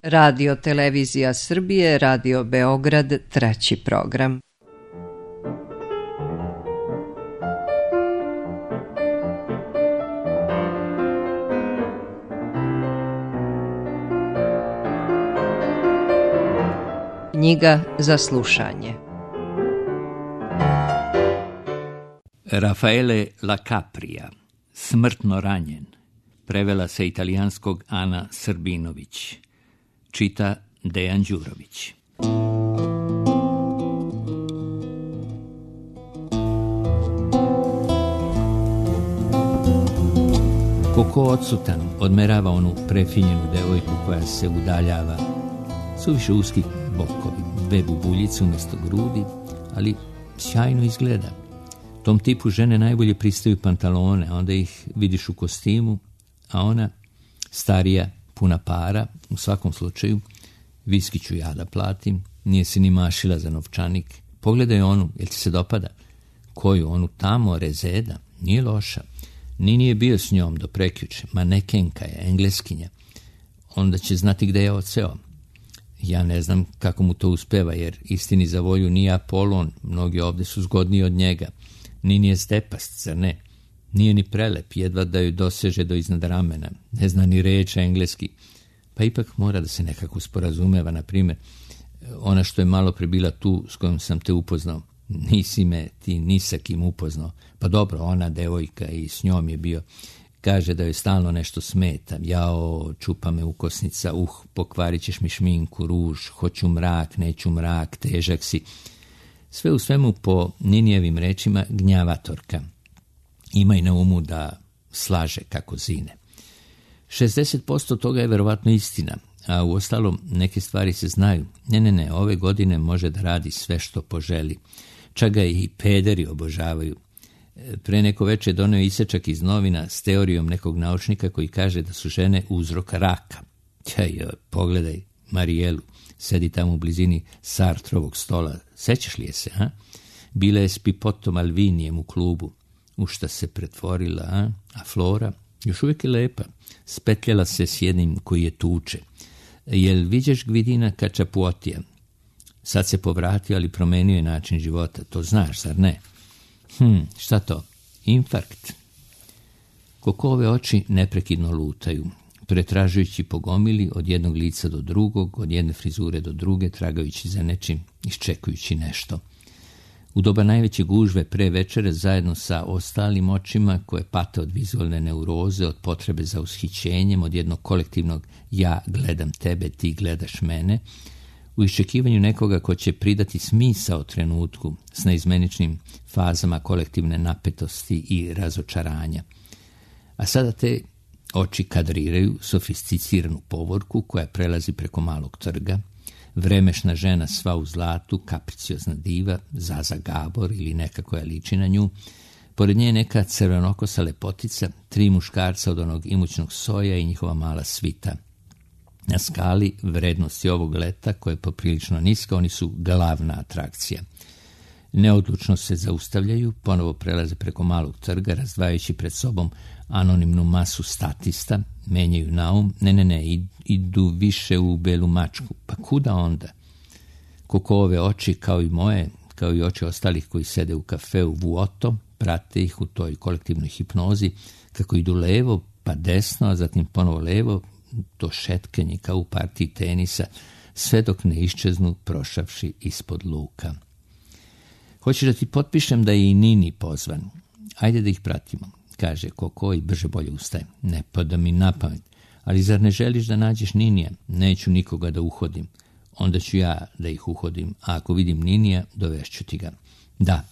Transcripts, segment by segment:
Radio Televizija Srbije, Radio Beograd, 3. program. Knjiga za slušanje. Raffaele La Capria, Smrtno ranjen. Prevela sa italijanskog Ana Srbinović. Čita Dejan Đurović. Koko odsutan odmerava onu prefinjenu devojku koja se udaljava. Suviše uski bokovi, 2 bubuljice umjesto grudi, ali sjajno izgleda. Tom tipu žene najbolje pristaju pantalone, onda ih vidiš u kostimu, a ona, starija, puna para, u svakom slučaju, viski ću ja da platim, nije se ni mašila za novčanik. Pogledaj onu, jel ti se dopada? Koju, onu tamo, Rezeda, nije loša. Ni nije bio s njom do prekjuče, manekenka je, engleskinja. Onda će znati gde je odseo. Ja ne znam kako mu to uspeva, jer istini za volju nije Apolon, mnogi ovde su zgodniji od njega. Ni nije stepast, zar ne? Nije ni prelep, jedva da joj doseže do iznad ramena. Ne zna ni reč engleski. Pa ipak mora da se nekako sporazumeva, na primjer, ona što je malo pre bila tu s kojom sam te upoznao. Nisi me ti ni sa kim upoznao. Pa dobro, ona devojka i s njom je bio. Kaže da joj stalno nešto smeta. Jao, čupa me ukosnica, pokvarit ćeš mi šminku, ruž, hoću mrak, neću mrak, težak si. Sve u svemu, po Ninijevim rečima, gnjavatorka. Imaj na umu da slaže kako zine. 60% toga je verovatno istina, a u ostalom neke stvari se znaju. Ne, ove godine može da radi sve što poželi. Čak ga i pederi obožavaju. Pre neko veče doneo isečak iz novina s teorijom nekog naučnika koji kaže da su žene uzrok raka. Pogledaj Marijelu, sedi tamo u blizini Sartrovog stola. Sećaš li je se, ha? Bila je s Pipotom Alvinijem u klubu. U šta se pretvorila, a Flora još uvijek je lepa. Spetljala se s jednim koji je tuče. Jel viđeš Gvidina Kačapuotija? Sad se povratio, ali promenio je način života. To znaš, zar ne? Šta to? Infarkt. Kokove oči neprekidno lutaju, pretražujući po gomili od jednog lica do drugog, od jedne frizure do druge, tragajući za nečim, iščekujući nešto. U doba najveće gužve pre večere, zajedno sa ostalim očima koje pate od vizualne neuroze, od potrebe za ushićenjem, od jednog kolektivnog ja gledam tebe, ti gledaš mene, u iščekivanju nekoga ko će pridati smisao trenutku s neizmeničnim fazama kolektivne napetosti i razočaranja. A sada te oči kadriraju sofisticiranu povorku koja prelazi preko malog trga, vremešna žena sva u zlatu, kapriciozna diva, Zaza Gabor ili neka koja liči na nju, pored nje neka crvenokosa lepotica, 3 muškarca od onog imućnog soja i njihova mala svita. Na skali vrednosti ovog leta, koja je poprilično niska, oni su glavna atrakcija. Neodlučno se zaustavljaju, ponovo prelaze preko malog trga, razdvajajući pred sobom anonimnu masu statista, menjaju naum, idu više u Belu mačku. Pa kuda onda? Kokove oči, kao i moje, kao i oči ostalih koji sede u kafeu Vuoto, prate ih u toj kolektivnoj hipnozi, kako idu levo, pa desno, a zatim ponovo levo, to šetkenje kao u partiji tenisa, sve dok ne iščeznu prošavši ispod luka. Hoćeš da ti potpišem da je i Nini pozvan? Ajde da ih pratimo, kaže Koko i brže bolje ustaje. Ne pada mi na pamet, ali zar ne želiš da nađeš Ninija? Neću nikoga da uhodim. Onda ću ja da ih uhodim, a ako vidim Ninija, dovešću ti ga. Da,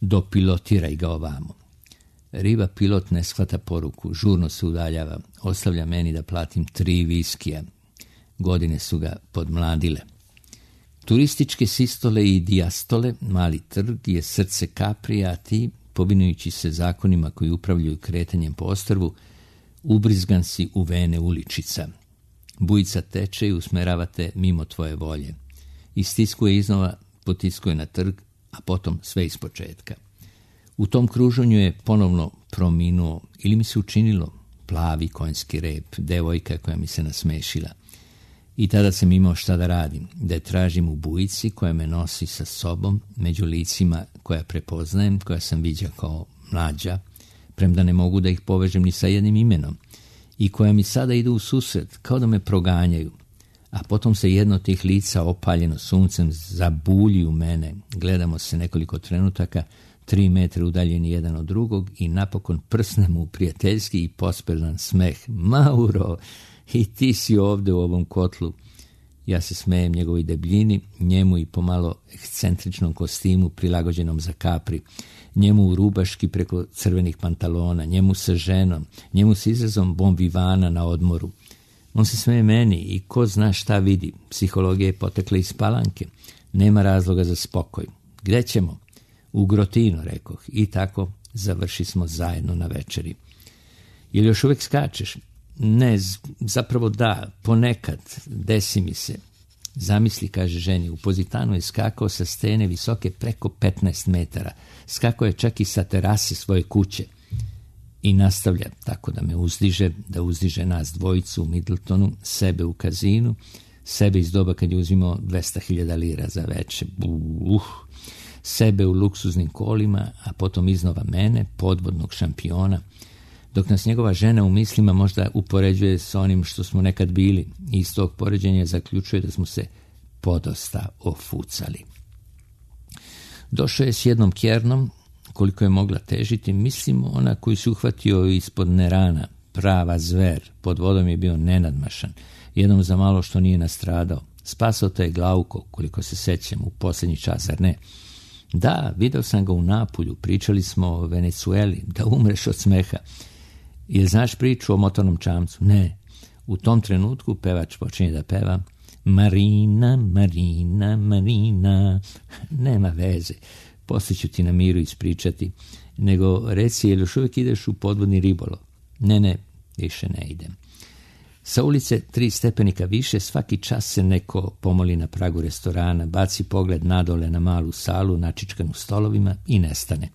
dopilotiraj ga ovamo. Riba pilot ne shvata poruku, žurno se udaljava, ostavlja meni da platim 3 viskija. Godine su ga podmladile. Turističke sistole i dijastole, mali trg je srce Kaprija, a ti, povinujući se zakonima koji upravljaju kretanjem po ostrvu, ubrizgan si u vene uličica. Bujica teče i usmeravate mimo tvoje volje. Istiskuje iznova, potiskuje na trg, a potom sve ispočetka. U tom kruženju je ponovno prominuo, ili mi se učinilo, plavi konjski rep, devojka koja mi se nasmešila. I tada sam imao šta da radim, da je tražim u bujici koja me nosi sa sobom među licima koja prepoznajem, koja sam viđao kao mlađa, premda ne mogu da ih povežem ni sa jednim imenom, i koja mi sada idu u susret, kao da me proganjaju. A potom se jedno od tih lica opaljeno suncem zabulji u mene. Gledamo se nekoliko trenutaka, 3 metra udaljeni jedan od drugog i napokon prsnemo u prijateljski i pospeljan smeh. Mauro, i ti si ovde u ovom kotlu. Ja se smejem njegovoj debljini, njemu i pomalo ekscentričnom kostimu prilagođenom za Capri, njemu u rubaški preko crvenih pantalona, njemu sa ženom, njemu s izrazom bon vivana na odmoru. On se smeje meni i ko zna šta vidi. Psihologija je potekla iz Palanke. Nema razloga za spokoj. Gde ćemo? U Grotino, rekoh. I tako završi smo zajedno na večeri. Jel još uvek skačeš? Ne, zapravo da, ponekad, desi mi se. Zamisli, kaže ženi, u Pozitanu je skakao sa stene visoke preko 15 metara. Skakao je čak i sa terase svoje kuće. I nastavlja tako da me uzdiže, da uzdiže nas dvojicu u Middletonu, sebe u kazinu, sebe iz doba kad je uzimao 200.000 lira za veče. Sebe u luksuznim kolima, a potom iznova mene, podvodnog šampiona, dok nas njegova žena u mislima možda upoređuje s onim što smo nekad bili i iz tog poređenja zaključuje da smo se podosta ofucali. Došao je s jednom kjernom, koliko je mogla težiti, mislim ona koju se uhvatio ispod nerana, prava zver, pod vodom je bio nenadmašan, jednom za malo što nije nastradao. Spasao te je Glauko, koliko se sećam, u posljednji čas, zar ne? Da, video sam ga u Napulju, pričali smo o Venecueli, da umreš od smeha. Jel znaš priču o motornom čamcu? Ne. U tom trenutku pevač počinje da peva Marina, Marina, Marina. Nema veze, poslije ću ti na miru ispričati. Nego reci, jel još uvijek ideš u podvodni ribolov? Ne, više ne idem. Sa ulice 3 stepenika više svaki čas se neko pomoli na pragu restorana, baci pogled nadole na malu salu načičkanu stolovima i nestane.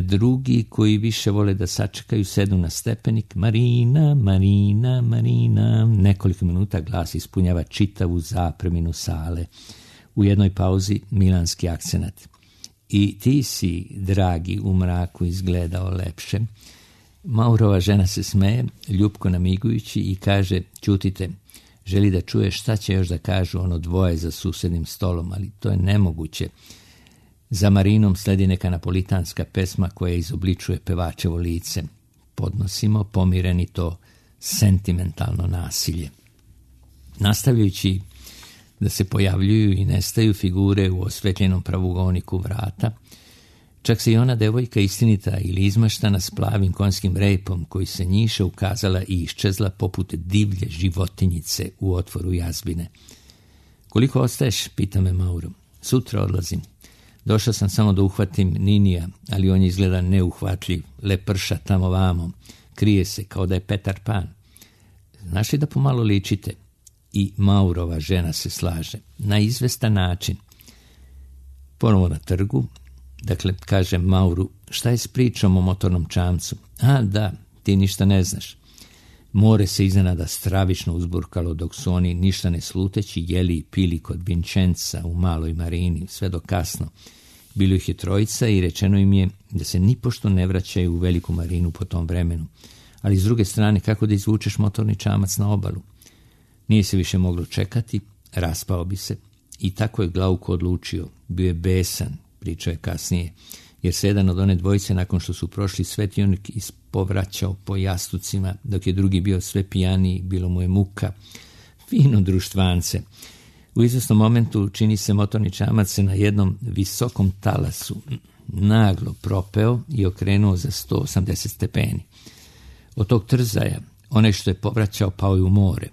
Drugi koji više vole da sačekaju sednu na stepenik. Marina, Marina, Marina. Nekoliko minuta glas ispunjava čitavu zapreminu sale. U jednoj pauzi milanski akcenat. I ti si, dragi, u mraku izgledao lepše. Maurova žena se smeje, ljupko namigujući i kaže, ćutite, želi da čuje šta će još da kažu ono dvoje za susednim stolom, ali to je nemoguće. Za Marinom sledi neka napolitanska pesma koja izobličuje pevačevo lice. Podnosimo pomireni to sentimentalno nasilje. Nastavljajući da se pojavljuju i nestaju figure u osvetljenom pravugoniku vrata, čak se i ona devojka istinita ili izmaštana s plavim konjskim repom koji se njiše ukazala i iščezla poput divlje životinjice u otvoru jazbine. Koliko ostaješ, pita me Mauro. Sutra odlazim. Došao sam samo da uhvatim Ninija, ali on je izgleda neuhvatljiv, leprša tamo vamo, krije se kao da je Petar Pan. Znaš li da pomalo ličite? I Maurova žena se slaže. Na izvestan način. Ponovo na trgu, dakle, kaže Mauru, šta je s pričom o motornom čamcu? A, da, ti ništa ne znaš. More se iznenada stravično uzburkalo dok su oni ništa ne sluteći jeli i pili kod Vincenza u maloj marini, sve do kasno. Bilo ih je 3 i rečeno im je da se nipošto ne vraćaju u veliku marinu po tom vremenu. Ali s druge strane, kako da izvučeš motorni čamac na obalu? Nije se više moglo čekati, raspao bi se. I tako je Glauko odlučio. Bio je besan, pričao je kasnije, jer se jedan od one dvojice nakon što su prošli svetionik ispovraćao po jastucima, dok je drugi bio sve pijaniji, bilo mu je muka. Fino društvance. U izvesnom momentu čini se motorni čamac se na jednom visokom talasu naglo propeo i okrenuo za 180 stepeni. Od tog trzaja, onaj što je povraćao pao je u more.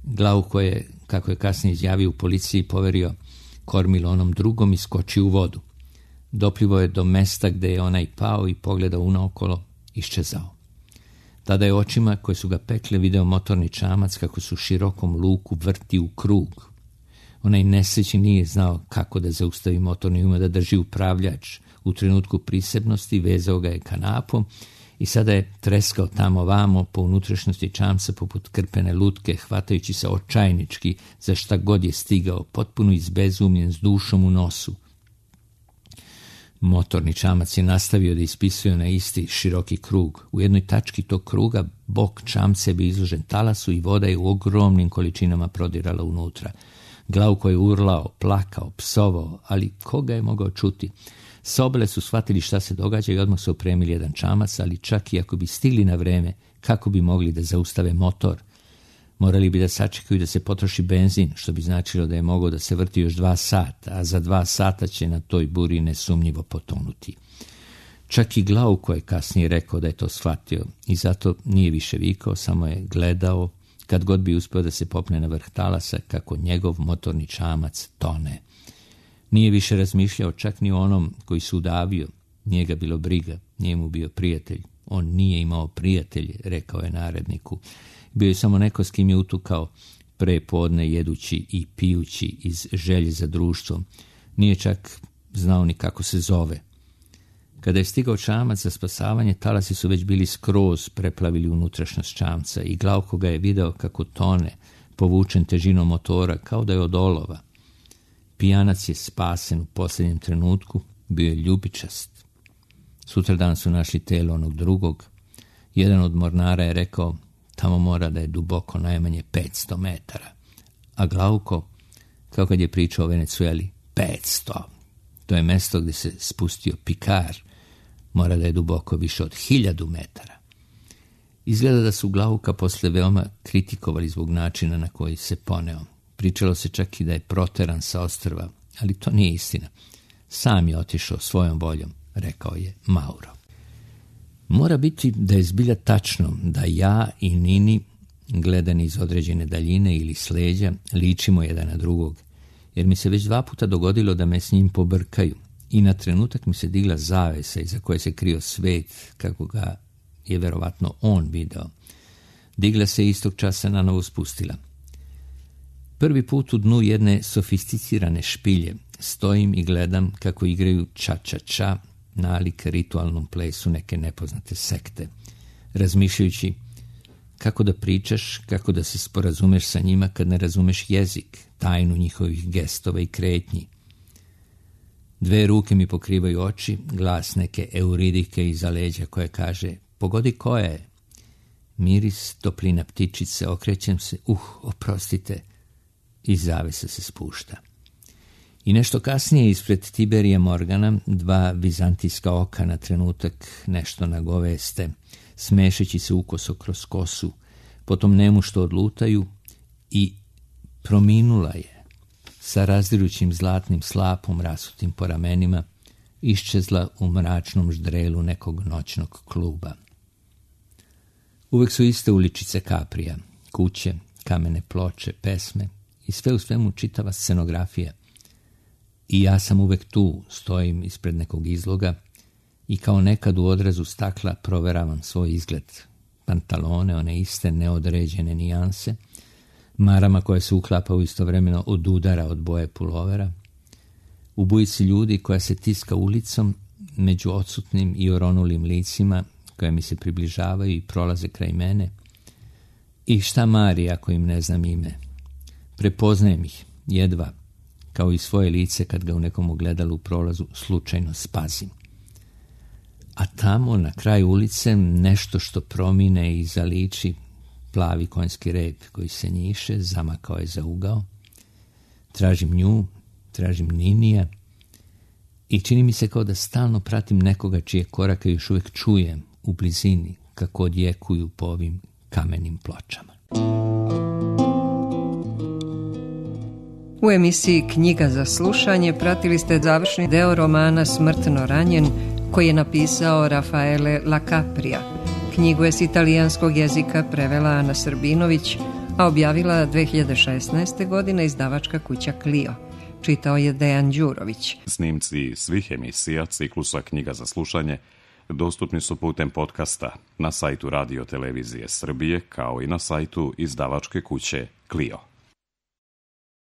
Glauko je, kako je kasnije izjavio u policiji, poverio kormilo onom drugom i skočio u vodu. Doplivo je do mesta gde je onaj pao i pogledao unaokolo, iščezao. Tada je očima koje su ga pekle video motorni čamac kako su širokom luku vrti u krug. Onaj nesrećni nije znao kako da zaustavi motorni, umeo da drži upravljač. U trenutku prisebnosti vezao ga je kanapom i sada je treskao tamo vamo po unutrašnjosti čamca poput krpene lutke, hvatajući se očajnički za šta god je stigao, potpuno izbezumljen s dušom u nosu. Motorni čamac je nastavio da ispisuje na isti široki krug. U jednoj tački tog kruga bok čamca je bio izložen talasu i voda je u ogromnim količinama prodirala unutra. Glauko je urlao, plakao, psovao, ali koga je mogao čuti? Sobele su shvatili šta se događa i odmah su opremili jedan čamac, ali čak i ako bi stigli na vreme, kako bi mogli da zaustave motor? Morali bi da sačekaju da se potroši benzin, što bi značilo da je mogao da se vrti još 2 sata, a za 2 sata će na toj buri nesumnjivo potonuti. Čak i Glauko je kasnije rekao da je to shvatio i zato nije više vikao, samo je gledao kad god bi uspio da se popne na vrh talasa kako njegov motorni čamac tone. Nije više razmišljao čak ni o onom koji se udavio, nije ga bilo briga, nije mu bio prijatelj. On nije imao prijatelje, rekao je naredniku. Bio je samo neko s kim je utukao pre podne jedući i pijući iz želje za društvom. Nije čak znao ni kako se zove. Kada je stigao čamac za spasavanje, talasi su već bili skroz preplavili unutrašnjost čamca i Glauko ga je video kako tone, povučen težinom motora, kao da je od olova. Pijanac je spasen u posljednjem trenutku, bio je ljubičast. Sutradan su našli telo onog drugog. Jedan od mornara je rekao, tamo mora da je duboko najmanje 500 metara. A Glauko, kao kad je pričao o Venecueli, 500. To je mesto gdje se spustio Pikar. Mora da je duboko više od 1000 metara. Izgleda da su Glauka posle veoma kritikovali zbog načina na koji se poneo. Pričalo se čak i da je proteran sa ostrva, ali to nije istina. Sam je otišao svojom voljom, rekao je Mauro. Mora biti da je zbilja tačno da ja i Nini, gledani iz određene daljine ili s leđa, ličimo jedan na drugog, jer mi se već 2 puta dogodilo da me s njim pobrkaju i na trenutak mi se digla zavesa iza koje se krio svet, kako ga je verovatno on video. Digla se istog časa na novo spustila. Prvi put u dnu jedne sofisticirane špilje stojim i gledam kako igraju ča-ča-ča, nalik ritualnom plesu neke nepoznate sekte, razmišljajući kako da pričaš, kako da se sporazumeš sa njima kad ne razumeš jezik, tajnu njihovih gestova i kretnji. 2 ruke mi pokrivaju oči, glas neke Euridike iza leđa koja kaže, pogodi koja je. Miris, toplina ptičice, okrećem se, oprostite, i zavesa se spušta. I nešto kasnije ispred Tiberija Morgana 2 vizantijska oka na trenutak nešto nagoveste, smešeći se ukoso kroz kosu, potom nemušto odlutaju i prominula je, sa razdirućim zlatnim slapom rasutim po ramenima, iščezla u mračnom ždrelu nekog noćnog kluba. Uvek su iste uličice Kaprija, kuće, kamene ploče, pesme i sve u svemu čitava scenografija. I ja sam uvek tu, stojim ispred nekog izloga i kao nekad u odrazu stakla proveravam svoj izgled. Pantalone, one iste neodređene nijanse, marama koje se uklapaju istovremeno od udara od boje pulovera, u bujici ljudi koja se tiska ulicom među odsutnim i oronulim licima koja mi se približavaju i prolaze kraj mene. I šta mari ako im ne znam ime? Prepoznajem ih, jedva, kao i svoje lice kad ga u nekom ogledalu u prolazu slučajno spazim. A tamo na kraju ulice nešto što promine i zaliči, plavi konjski rep koji se njiše, zamakao je za ugao. Tražim nju, tražim Ninija i čini mi se kao da stalno pratim nekoga čije korake još uvijek čujem u blizini kako odjekuju po ovim kamenim pločama. U emisiji Knjiga za slušanje pratili ste završni deo romana Smrtno ranjen koji je napisao Rafaele La Capria. Knjigu je s italijanskog jezika prevela Ana Srbinović, a objavila 2016. godine izdavačka kuća Clio. Čitao je Dejan Đurović. Snimci svih emisija ciklusa Knjiga za slušanje dostupni su putem podcasta na sajtu Radio Televizije Srbije kao i na sajtu izdavačke kuće Clio.